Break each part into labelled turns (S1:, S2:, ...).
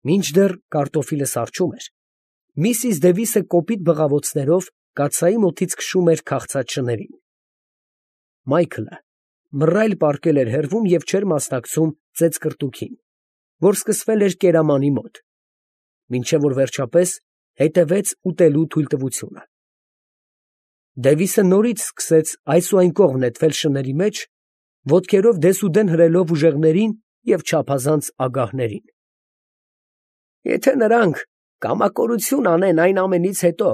S1: Մինչդեռ կարտոֆիլը սառչում էր, Միսիս Դևիսը կոպիտ բղավոցներով կաթսայի մոտից քշում էր քաղցած շներին։ Մայքլը մռայլ պառկել էր հեռվում և չէր մասնակցում ծեծկռտուքին, որ սկսվել էր կերամանի մոտ, մինչև որ վերջապես հետևեց ուտելու թույլտվությունը։ Դևիսը նորից սկսեց այս ու այն կողմ նետվել շների մեջ, ոտքերով դեսուդեն հրելով ուժեղներին և չափազանց ագահներին։ Եթե նրանք կամակորություն անեն այն ամենից հետո,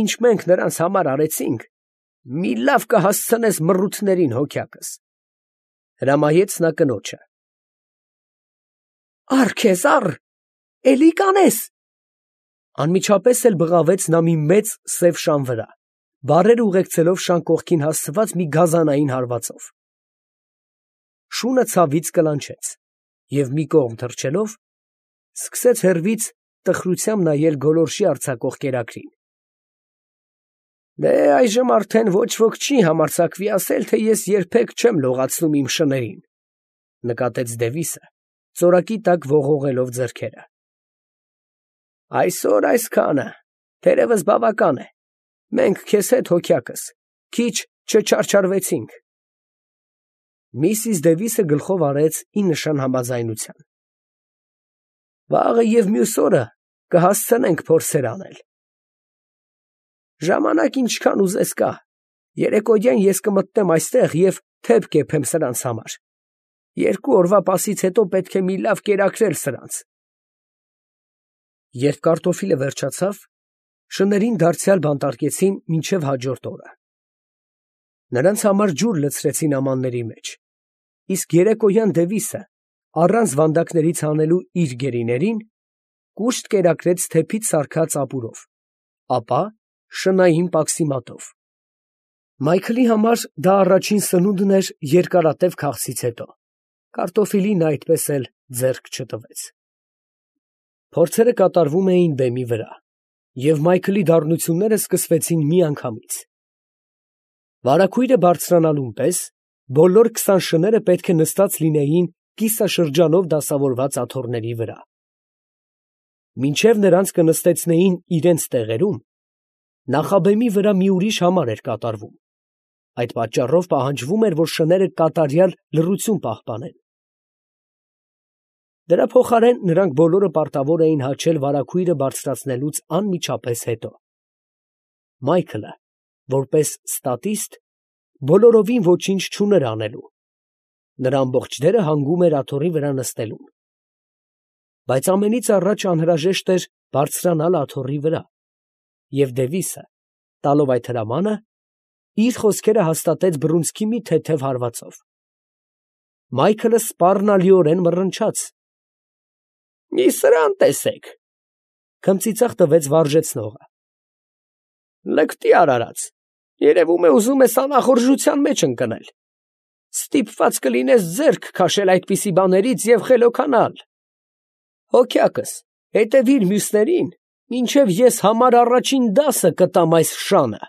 S1: ինչ մենք նրանց համար արեցինք, մի լավ կհասցնես մռութներին, հոգյակս, ֊ հրամայեց նա կնոջը։ Առ քեզ, առ, էլի կանես, ֊ անմիջապես էլ բղավեց նա մի մեծ սև շան վրա, բառերը ուղեկցելով շան կողքին հասցված մի գազանային հարվածով։ Շունը ցավից կլանչեց և մի կողմ թռչելով, սկսեց հեռվից տխրությամբ նայել գոլորշի արձակող կերակրին։ Դե այժմ արդեն ոչ ոք չի համարձակվի ասել, թե ես երբեք չեմ լողացնում իմ շներին, ֊ նկատեց Դևիսը, ծորակի տակ ողողելով ձեռքերը։ Այսօր այսքանը, թերևս բավական է, մենք քեզ հետ, հոգյակս, քիչ չչարչարվեցինք։ Միսիս Դևիսը գլխով արեց ի նշան համաձայնության։ Վաղը և մյուս օրը կհասցնենք փորձեր անել։ Ժամանակ ինչքան ուզես կա, երեկոյան ես կմտնեմ այստեղ և թեփ կեփեմ սրանց համար, 2 օրվա պասից հետո պետք է մի լավ կերակրել սրանց։ Երբ կարտոֆիլը վերջացավ, շներին դարձյալ բանտարկեցին մինչև հաջորդ օրը։ Նրանց համար ջուր լցրեցին ամանների մեջ, իսկ երեկոյան Դևիսը, առանց վանդակներից հանելու իր գերիներին, կուշտ կերակրեց թեփից սարքած ապուրով, ապա շնային պաքսիմատով։ Մայքլի համար դա առաջին սնունդն էր երկարատև քաղցից հետո, կարտոֆիլին նա այդպես էլ ձեռք չտվեց։ Փորձերը կատարվում էին բեմի վրա, և Մայքլի դառնությունները սկսվեցին միանգամից։ Վարագույրը բարձրանալուն պես բոլոր 20 շները պետք է նստած լինեին կիսաշրջանով դասավորված աթոռների վրա։ Մինչև նրանց կնստեցնեին իրենց տեղերում, նախաբեմի վրա մի ուրիշ համար էր կատարվում, այդ պատճառով պահանջվում էր, որ շները կատարյալ լռություն պահպանեն։ Դրա փոխարեն նրանք բոլորը պարտավոր էին հաչել վարագույրը բարձրացնելուց անմիջապես հետո։ Մայքլը, որպես ստատիստ, բոլորովին ոչինչ չուներ անելու, նրա ամբողջ դերը հանգում էր աթոռի վրա նստելուն։ Բայց ամենից առաջ անհրաժեշտ էր բարձրանալ աթոռի վրա, և Դևիսը, տալով այդ հրամանը, իր խոսքերը հաստատեց բռունցքի մի թեթև հարվածով։ Մայքլը սպառնալիորեն մռնչաց։ Մի սրան տեսեք, ֊ քմծիծաղ տվեց վարժեցնողը։ Լկտի արարած, երևում է ուզում ես անախորժության մեջ ընկնել։ Ստիպված կլինես ձեռք քաշել այդպիսի բաներից և խելոքանալ։ Հոգյակս, հետևիր մյուսներին, մինչև ես համար առաջին դասը կտամ այս շանը։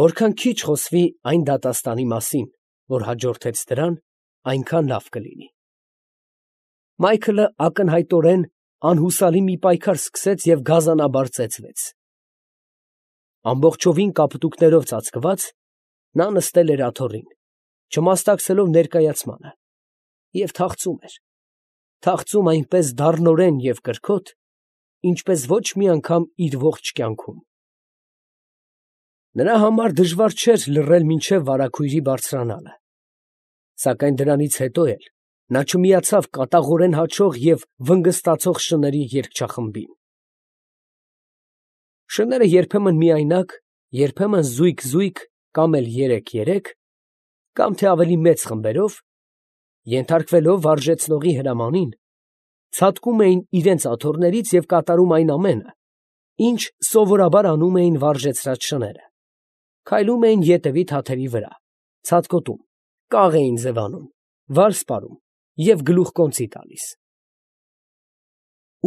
S1: Որքան քիչ խոսվի այն դատաստանի մասին, որ հաջորդեց դրան, այնքան լավ կլինի։ Մայքլը ակնհայտորեն անհուսալի մի պայքար սկսեց և գազանաբար ծեծվեց։ Ամբողջովին կապտուկներով ծածկված, նա նստել էր աթոռին, չմասնակցելով ներկայացմանը, և թախծում այնպես դառնորեն և կրքոտ, ինչպես ոչ մի անգամ իր ողջ կյանքում։ Նրա համար դժվար չէր լռել մինչև վարագույրի բարձրանալը, սակայն դրանից հետո էլ նա չմիացավ կատաղորեն հաչող և վնգստացող շների երգչախմբին։ Շները երբեմն միայնակ, երբեմն զույգ֊զույգ կամ էլ 3-3, կամ թե ավելի մեծ խմբերով, ենթարկվելով վարժեցնողի հրամանին, ցատկում էին իրենց աթոռներից և կատարում այն ամենը, ինչ սովորաբար անում էին վարժեցրած շները, քայլում էին ետևի թաթերի վրա, ցատկոտում, կաղ էին ձևանում, վալս պարում և գլուխկոնծի տալիս։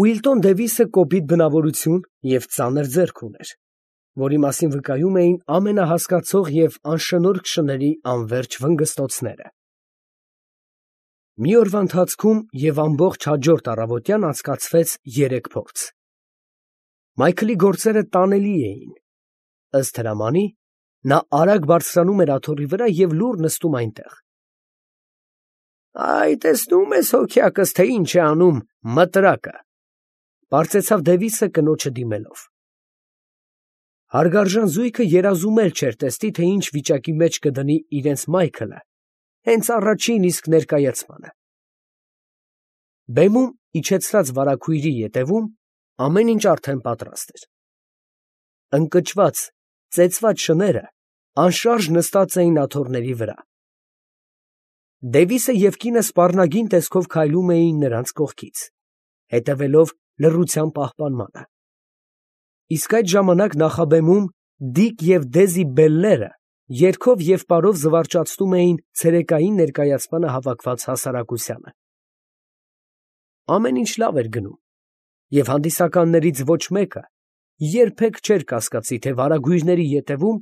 S1: Ուիլտոն Դևիսը կոպիտ բնավորություն և ծանր ձեռք ուներ, որի մասին վկայում էին ամենահասկացող և անշնորհք շների անվերջ վնգստոցները։ Մի օրվա ընթացքում և ամբողջ հաջորդ առավոտյան անցկացվեց 3 փորձ։ Մայքլի գործերը տանելի էին։ Ըստ հրամանի, նա արագ բարձրանում էր աթոռի վրա և լուռ նստում այնտեղ։ «Այ, տեսնում ես, հոգյակս, թե ինչ է անում մտրակը», ֊ պարծեցավ Դևիսը կնոջը դիմելով։ Հարգարժան զույգը երազում էլ չէր տեսնի, թե ինչ վիճակի մեջ կդնի իրենց Մայքլը հենց առաջին իսկ ներկայացմանը։ Բեմում իջեցրած վարագույրի ետևում ամեն ինչ արդեն պատրաստ էր։ Ընկճված, ծեծված շները անշարժ նստած էին աթոռների վրա։ Դևիսը և կինը սպառնագին տեսքով քայլում էին նրանց կողքից, հետևելով լռության պահպանմանը։ Իսկ այդ ժամանակ նախաբեմում Դիկ և Դեզի բելլերը երգով և պարով զվարճացնում էին ցերեկային ներկայացմանը հավաքված հասարակությանը։ Ամեն ինչ լավ էր գնում, և հանդիսականներից ոչ մեկը երբեք չէր կասկածի, թե վարագույրների ետևում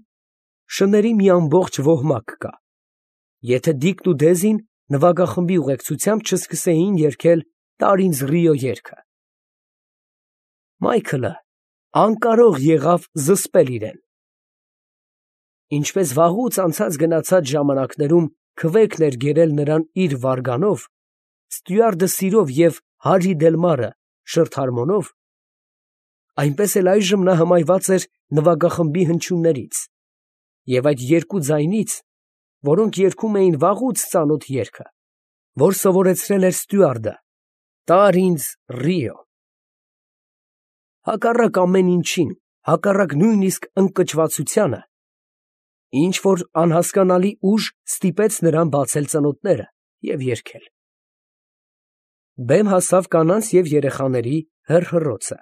S1: շների մի ամբողջ ոհմակ կա, եթե Դիկն ու Դեզին նվագախմբի ուղեկցությամբ չսկսեին երգել «Տարինձ Ռիո» երգը։ Մայքլը անկարող եղավ զսպել իրեն։ Ինչպես վաղուց անցած գնացած ժամանակներում քվեքն էր գերել նրան իր վարգանով, ստյուարդը սիրով և Հարրի Դելմարը շրթհարմոնով, այնպես էլ այժմ նա հմայված էր նվագախմբի հնչյուններից և այդ երկու ձայնից, որոնք երգում էին վաղուց ծանոթ երգը, որ սովորեցրել էր ստյուարդը՝ «Տարինձ Ռիո»։ Հակառակ ամեն ինչին, հակառակ նույնիսկ ընկճվածությանը, ինչ֊որ անհասկանալի ուժ ստիպեց նրան բացել ծնոտները և երգել։ Բեմ հասավ կանանց և երեխաների հռհռոցը,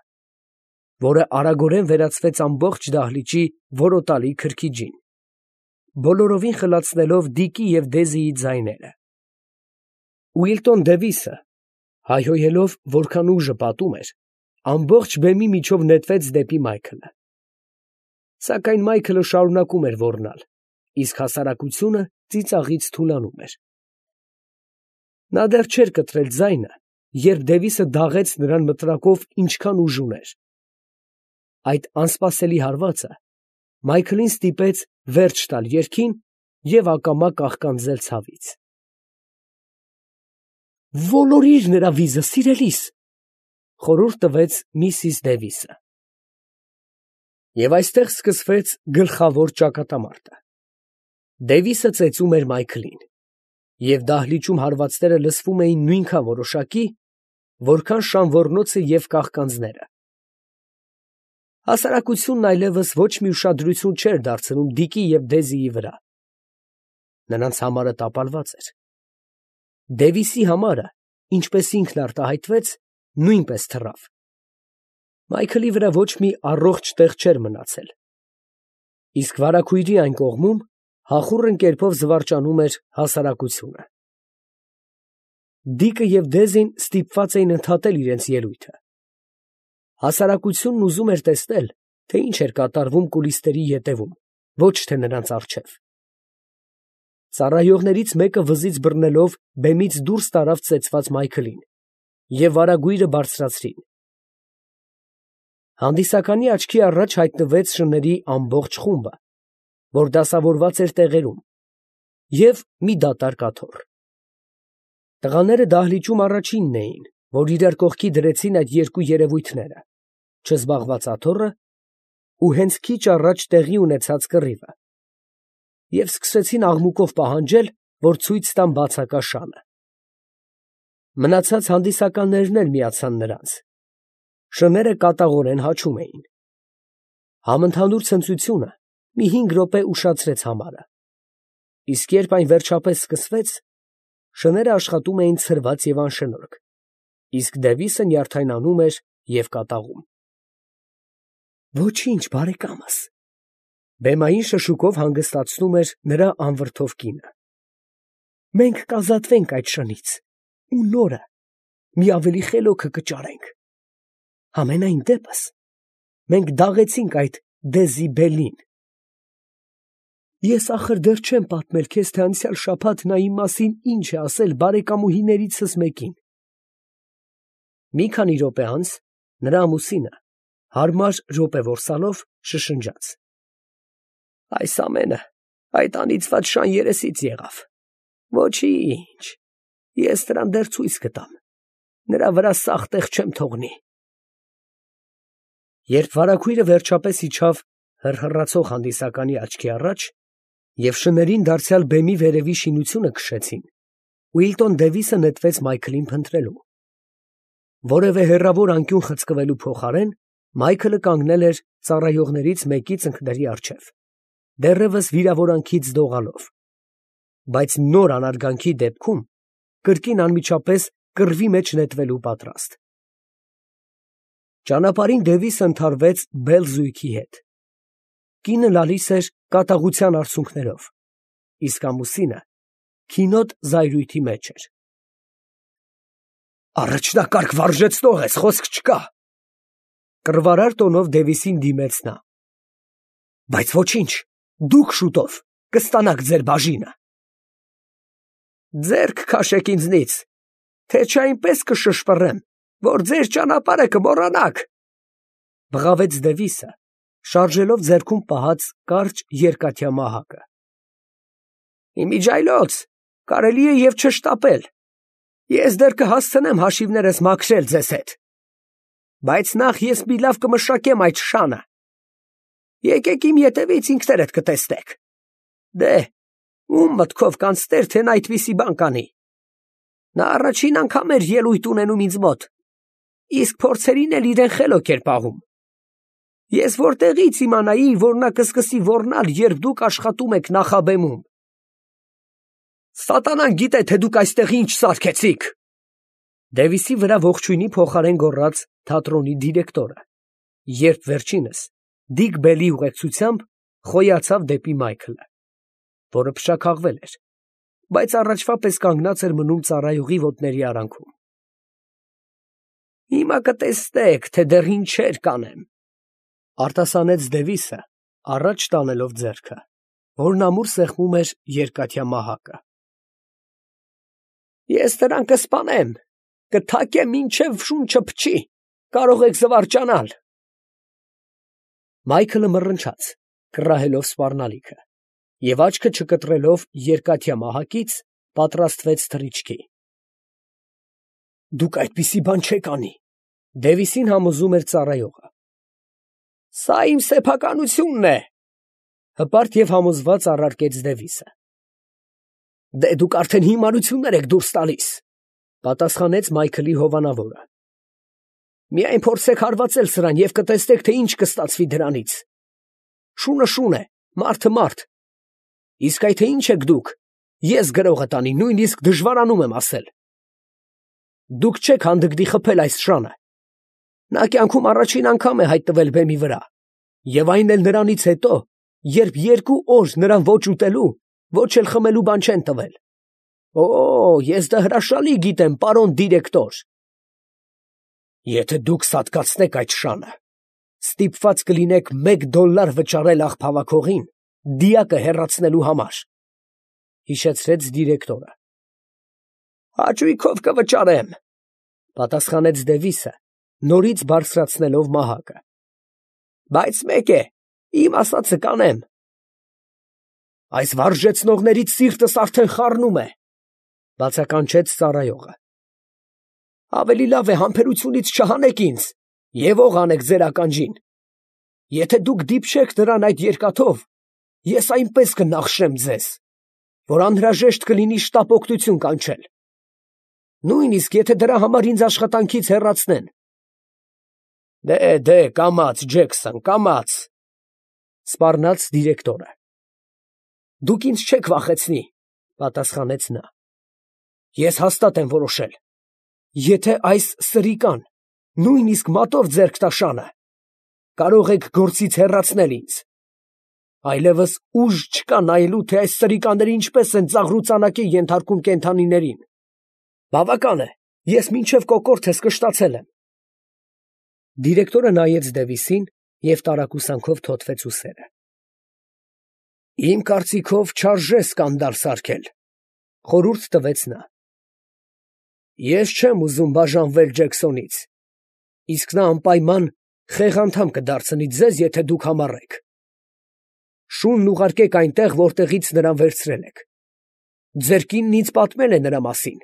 S1: որը արագորեն վերածվեց ամբողջ դահլիճի որոտալի քրքիջին, բոլորովին խլացնելով Դիկի և Դեզիի ձայները։ Ուիլտոն Դևիսը, հայհոյելով, որքան ուժը պատում էր, ամբողջ բեմի միջով նետվեց դեպի Մայքլը։ Սակայն Մայքլը շարունակում էր ոռնալ, իսկ հասարակությունը ծիծաղից թուլանում էր։ Նա դեռ չէր կտրել ձայնը, երբ Դևիսը դաղեց նրան մտրակով ինչքան ուժ ուներ։ Այդ անսպասելի հարվածը Մայքլին ստիպեց վերջ տալ երգին և ակամա կաղկանձել ցավից։ «Ոլորիր նրա վիզը, սիրելիս», ֊ խորհուրդ տվեց միսիս Դևիսը։ Եվ այստեղ սկսվեց գլխավոր ճակատամարտը։ Դևիսը ծեծում էր Մայքլին, և դահլիճում հարվածները լսվում էին նույնքան որոշակի, որքան շան ոռնոցը և կաղկանձները։ Հասարակությունն այլևս ոչ մի ուշադրություն չէր դարձնում Դիկի և Դեզիի վրա։ Նրանց համարը տապալված էր։ Դևիսի համարը, ինչպես ինքն արտահայտվեց, նույնպես թռավ։ Մայքլի վրա ոչ մի առողջ տեղ չէր մնացել, իսկ վարագույրի այն կողմում հախուռն կերպով զվարճանում էր հասարակությունը։ Դիկը և Դեզին ստիպված էին ընդհատել իրենց ելույթը։ Հասարակությունն ուզում էր տեսնել, թե ինչ էր կատարվում կուլիսների ետևում, ոչ թե նրանց առջև։ Ծառայողներից մեկը վզից բռնելով բեմից դուրս տարավ ծեծված Մայքլին, և վարագույրը բարձրացրին։ Հանդիսականի աչքի առաջ հայտնվեց շների ամբողջ խումբը, որ դասավորված էր տեղերում, և մի դատարկ աթոռ։ Տղաները դահլիճում առաջինն էին, որ իրար կողքի դրեցին այդ երկու երևույթները, չզբաղված աթոռը ու հենց քիչ առաջ տեղի ունեցած կռիվը, և սկսեցին աղմուկով պահանջել, որ ցույց տան բացակա շանը։ Մնացած հանդիսականներն էլ միացան նրանց։ Շները կատաղորեն հաչում էին։ Համընդհանուր ցնծությունը մի 5 րոպե ուշացրեց համարը, իսկ երբ այն վերջապես սկսվեց, շները աշխատում էին ցրված և անշնորհք, իսկ Դևիսը նյարդայնանում էր և կատաղում։ «Ոչինչ, բարեկամս», ֊ բեմային շշուկով հանգստացնում էր նրա անվրդով կինը։ «Մենք կազատվենք այդ շնից ու նորը, մի ավելի խելոքը կճարենք։ Համենայն դեպս մենք դաղեցինք այդ Դեզի Բելլին»։ Ես ախր դեռ չեմ պատմել քեզ, թե անցյալ շաբաթ նա իմ մասին ինչ է ասել բարեկամուհիներիցս մեկին։ Մի քանի րոպե անց նրա ամուսինը հարմար րոպեորսալով շշնջաց. Այս ամենը այդ անիծված շան երեսից եղավ։ Ոչինչ, ես նրան դեռ ցույց կտամ, նրա վրա սաղ տեղ չեմ թողնի։ Երբ վարագույրը վերջապես իջավ հռհռացող հանդիսականի աչքի առաջ և շներին դարձյալ բեմի վերևի շինությունը քշեցին, Ուիլտոն Դևիսը նետվեց Մայքլին փնտրելու։ Որևէ հեռավոր անկյուն խցկվելու փոխարեն Մայքլը կանգնել էր ծառայողներից մեկի ծնկների առջև, դեռևս վիրավորանքից դողալով, բայց նոր անարգանքի դեպքում կրկին անմիջապես կռվի մեջ նետվելու պատրաստ։ Ճանապարհին Դևիսը ընդհարվեց Բել զույգի հետ։ Կինը լալիս էր կատաղության արցունքներով, իսկ ամուսինը քինոտ զայրույթի մեջ էր։ Առաջնակարգ վարժեցնող ես, խոսք չկա, կռվարար տոնով Դևիսին դիմեց նա։ Բայց ոչինչ, դուք շուտով կստանաք ձեր բաժինը։ Ձեռք քաշեք ինձնից, թե չէ այնպես կշշպռեմ, որ ձեր ճանապարհը կմոռանաք, բղավեց Դևիսը, շարժելով ձեռքում պահած կարճ երկաթյա մահակը։ Իմիջայլոց, կարելի է և չշտապել, ես դեռ կհասցնեմ հաշիվներս մաքրել ձեզ հետ, բայց նախ ես մի լավ կմշակեմ այդ շանը։ Եկեք իմ ետևից ինքներդ կտեսնեք։ Դե, ում մտքով կանցներ, թե նա այդպիսի բան կանի։ Նա առաջին անգամ էր ելույթ ունենում ինձ մոտ, իսկ փորձերին էլ իրեն խելոք էր պահում։ Ես որտեղից իմանայի, որ նա կսկսի ոռնալ, երբ դուք աշխատում եք նախաբեմում։ Սատանան գիտե, թե դուք այստեղ ինչ սարքեցիք։ Դևիսի վրա ողջույնի փոխարեն գոռաց թատրոնի դիրեկտորը, երբ վերջինս Դիք Բելի ուղեկցությամբ խոյացավ դեպի Մայքլը, որը փշաքաղվել էր, բայց առաջվա պես կանգնած էր մնում ծառայողի ոտների արանքում։ Հիմա կտեսնեք, թե դեռ ինչեր կանեմ, արտասանեց Դևիսը, առաջ տանելով ձեռքը, որն ամուր սեղմում էր երկաթյա մահակը։ Ես նրան կսպանեմ, կթակեմ մինչև շունչը փչի, կարող եք զվարճանալ։ Մայքլը մռնչաց, կռահելով սպառնալիքը, և աչքը չկտրելով երկաթյա մահակից, պատրաստվեց թռիչքի։ Դուք այդպիսի բան չեք անի, Դևիսին համոզում էր ծառայողը։ Սա իմ սեփականությունն է, հպարտ և համոզված առարկեց Դևիսը։ Դե դուք արդեն հիմարություններ եք դուրս տալիս, պատասխանեց Մայքլի հովանավորը։ Միայն փորձեք հարվածել սրան և կտեսնեք, թե ինչ կստացվի դրանից։ Շունը շուն է, մարդը մարդ։ Իսկ այդ թե ինչ եք դուք, ես գրողը տանի, նույնիսկ դժվարանում եմ ասել։ Դուք չեք հանդգնի խփել այս շանը։ Նա կյանքում առաջին անգամ է հայտնվել բեմի վրա, և այն էլ նրանից հետո, երբ 2 օր նրան ոչ ուտելու, ոչ էլ խմելու բան չեն տվել։ Օ, ես դա հրաշալի գիտեմ, պարոն դիրեկտոր։ Եթե դուք սատկացնեք այդ շանը, ստիպված կլինեք $1 վճարել աղբավաքողին դիակը հեռացնելու համար, հիշեցրեց դիրեկտորը։ Հաճույքով կվճարեմ, պատասխանեց Դևիսը, նորից բարձրացնելով մահակը։ Բայց մեկ է, իմ ասածը կանեմ։ Այս վարժեցնողներից սիրտս արդեն խառնում է, բացականչեց ծառայողը։ Ավելի լավ է համբերությունից չհանեք ինձ և ող անեք ձեր ականջին։ Եթե դուք դիպչեք նրան այդ երկաթով, ես այնպես կնախշեմ ձեզ, որ անհրաժեշտ կլինի շտապ օգնություն կանչել, նույնիսկ եթե դրա համար ինձ աշխատանքից հեռացնեն։ Դե, կամաց, Ջեքսոն, կամաց, սպառնաց դիրեկտորը։ Դուք ինձ չեք վախեցնի, պատասխանեց նա։ Ես հաստատ եմ որոշել. եթե այս սրիկան նույնիսկ մատով ձեռք տա շանը, կարող եք գործից հեռացնել ինձ։ Այլևս ուժ չկա նայելու, թե այս սրիկաները ինչպես են ծաղրուծանակի ենթարկում կենդանիներին։ Բավական է, ես մինչև կոկորդս կշտացել եմ։ Դիրեկտորը նայեց Դևիսին և տարակուսանքով թոթվեց ուսերը։ Իմ կարծիքով չարժե սկանդալ սարքել, խորհուրդ տվեց նա։ Ես չեմ ուզում բաժանվել Ջեքսոնից, իսկ նա անպայման խեղ անդամ կդարձնի ձեզ, եթե դուք համառեք։ Շունն ուղարկեք այնտեղ, որտեղից նրան վերցրել եք։ Ձեր կինն ինձ պատմել է նրա մասին։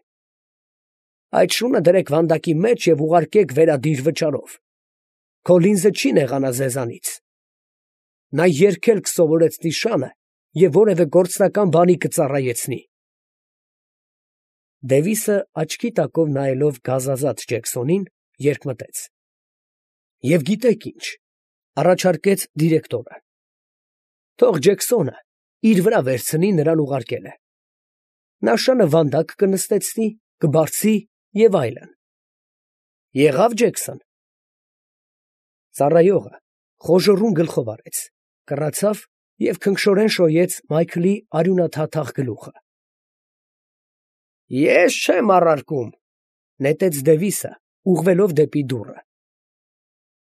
S1: Այդ շունը դրեք վանդակի մեջ և ուղարկեք վերադիր վճարով։ Քոլինզը չի նեղանա ձեզանից։ Նա երգել կսովորեցնի շանը և որևէ գործնական բանի կծառայեցնի։ Դևիսը աչքի տակով նայելով գազազած Ջեքսոնին, երկմտեց։ Եվ գիտեք ինչ, առաջարկեց դիրեկտորը. թող Ջեքսոնը իր վրա վերցնի նրան ուղարկելը։ Նա շանը վանդակ կնստեցնի, կբարձի և այլն։ Եղա՞վ Ջեքսոն։ Ծառայողը խոժոռուն գլխով արեց, կռացավ և քնքշորեն շոյեց Մայքլի արյունաթաթախ գլուխը։ Ես չեմ առարկում, նետեց Դևիսը, ուղղվելով դեպի դուռը։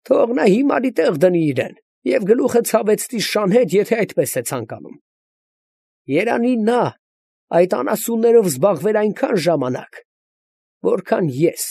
S1: Թող նա հիմարի տեղ դնի իրեն և գլուխը ցավեցնի շան հետ, եթե այդպես է ցանկանում։ Երանի նա այդ անասուններով զբաղվեր այնքան ժամանակ, որքան ես։